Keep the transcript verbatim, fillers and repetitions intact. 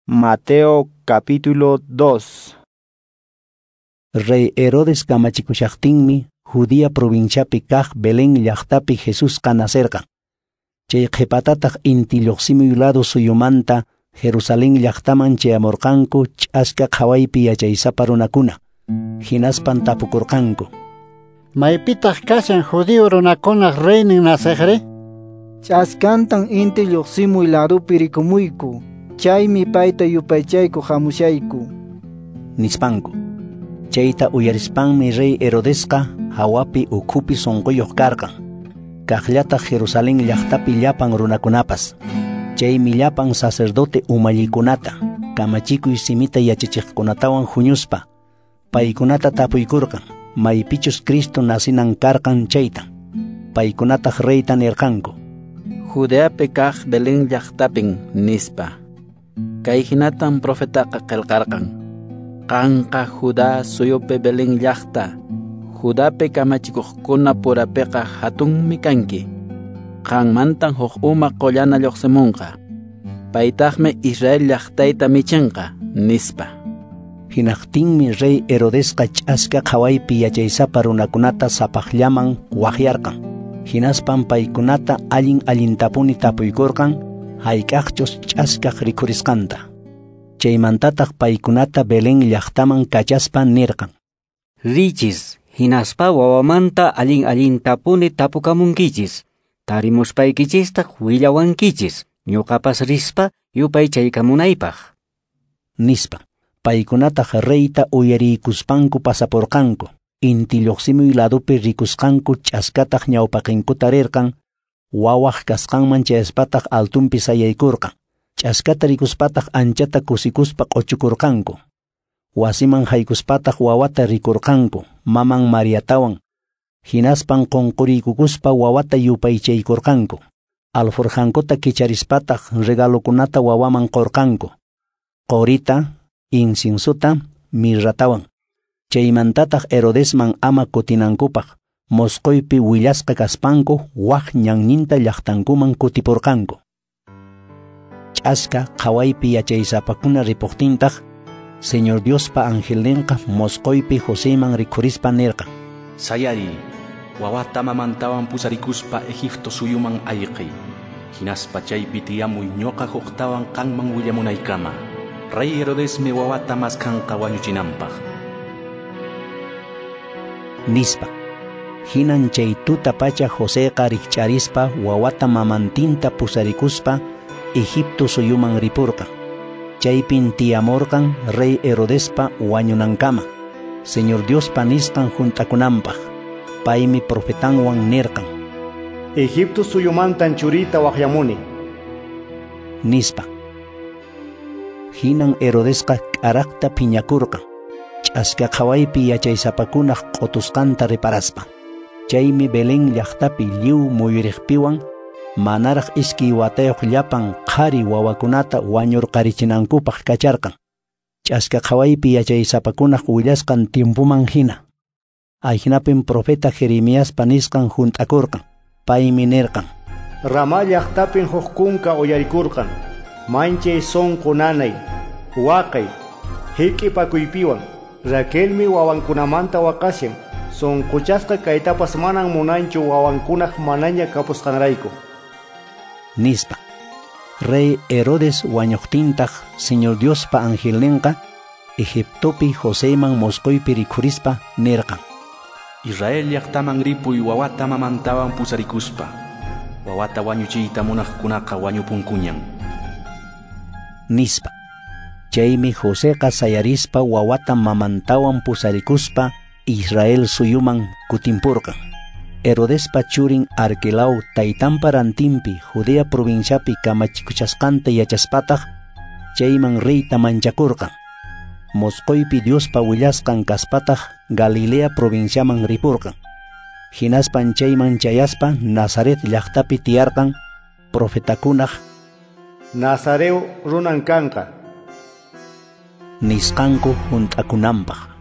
Mateo capítulo dos. Rey Herodes kamachikushaqtinmi Judea provinciapi kaq Belén llaqtapi Jesusqa nacerqan. Chay qhipatataq inti lluqsimuy lado suyumanta Jerusalén llaqtaman chayamurqanku ch'aska qhawaypi yachaysapa runakuna. Hinaspan tapukurqanku: Maypitaq kashan judío runakunaq reynin naceqri? Ch'askantan inti lluqsimuy ladopi rikumuyku. Chaymi payta yupaychayku hamushayku, nispanku. Chayta uyarispanmi rey Herodesqa hawapi ukhupi sunquyuq karqan. Kaqllataq Jerusalén llaqtapi llapan runakunapas. Chaymi llapan sacerdote umallikunata, kamachikuy simita yachachiqkunatawan huñuspa, paykunata tapuykurqan, maypichus Cristo nacinan karqan chayta. Paykunataq reyta nirqanku: Judeapi kaq Belén llaqtapin, nispa. Kay hinatan profetaqa qillqarqan: Qanqa Judá suyupi Belén llaqta, Judapi kamachikuqkuna purapiqa hatunmi kanki. Qanmantan huk uma qullana lluqsimunqa. Paytaqmi Israel llaqtayta michinqa, nispa. Hinaqtinmi rey Herodesqa ch'aska qhawaypi yachaysapa runakunata sapaqllaman waqyarqan. Hinaspan paykunata allin allintapuni tapuykurqan hayk'aqchus ch'askaq rikhurisqanta. Chaymantataq paykunata Belén llaqtaman kachaspa nirqan: Richis, hinaspa wawamanta allin allintapuni tapukamunkichis. Tarimuspaykichistaq willawankichis, ñuqapas rispa yupaychaykamunaypaq, nispa. Paykunataq reyta uyariykuspanku pasapurqanku. Inti lluqsimuy ladopi rikusqanku ch'askataq ñawpaqinkuta rirqan. Wawaq kasqanman chayaspataq altunpi sayaykurqan. Ch'askata rikuspataq anchata kusikuspa q'uchukurqanku. Wasiman haykuspataq wawata rikurqanku, maman Mariatawan. Hinaspan qunquriykukuspa wawata yupaychaykurqanku. Alforjankuta kicharispataq regalokunata wawaman qurqanku: qorita, inciensuta, mirratawan. Chaymantataq Herodesman ama kutinankupaq mosqoypi willasqa kaspanku waq ñanninta llaqtankuman kutipurqanku. Ch'aska qhawaypi yachaysapakuna ripuqtintaq, Señor Diospa angelninqa mosqoypi Joseman rikhurispa nirqan: Sayari, wawata mamantawan pusarikuspa Egipto suyuman ayqiy. Hinaspa chaypi tiyamuy ñuqa huktawan qanman willamunaykama. Rey Herodesmi wawata maskanqa wañuchinanpaq, nispa. Hinan chay tuta pacha Joseqa rikch'arispa wawata mamantinta pusarikuspa Egipto suyuman ripurqan. Chaypin tiyamurqan rey Herodespa wañunankama, Señor Diospa nisqan hunt'akunanpaq. Paymi profetanwan nirqan: Egipto suyumantan churita waqyamuni, nispa. Hinan Herodesqa k'araqta phiñakurqan, ch'aska qhawaypi yachaysapakunaq q'utusqanta reparaspa. Chaymi Belén llaqtapi lliw muyuriqpiwan manaraq iskay watayuq llapan qhari wawakunata wañurqarichinankupaq kacharqan, ch'aska qhawaypi yachaysapakunaq willasqan tiempoman hina. Ahinapin profeta Jeremiaspa nisqan hunt'akurqan. Paymi nirqan: Ramá llaqtapin huk kunka uyarikurqan, manchay sunqu nanay, waqay, hik'ipakuypiwan. Raquelmi wawankunamanta waqashan, sunquchasqa kaytapas manan munanchu wawankunaq manaña kapusqanrayku, nispa. Rey Herodes wañuqtintaq Señor Diospa angelninqa Egiptopi Joseman mosqoypi rikhurispa nirqan: Israel llaqtaman ripuy wawata mamantawan pusarikuspa. Wawata wañuchiyta munaqkunaqa wañupunkuñan, nispa. Chaymi Joseqa sayarispa wawata mamantawan pusarikuspa Israel suyuman kutimpurqan. Herodespa churin Arquelao taytanpa rantinpi Judea provinciapi kamachikuchasqanta yachaspataq chayman reyta manchakurqan. Mosqoypi Diospa willasqan kaspataq Galilea provinciaman ripurqan. Hinaspan chayman chayaspa Nazaret llaqtapi tiyarqan, profetakunaq Nazareo runan kanqa, nisqanku hunt'akunanpaq.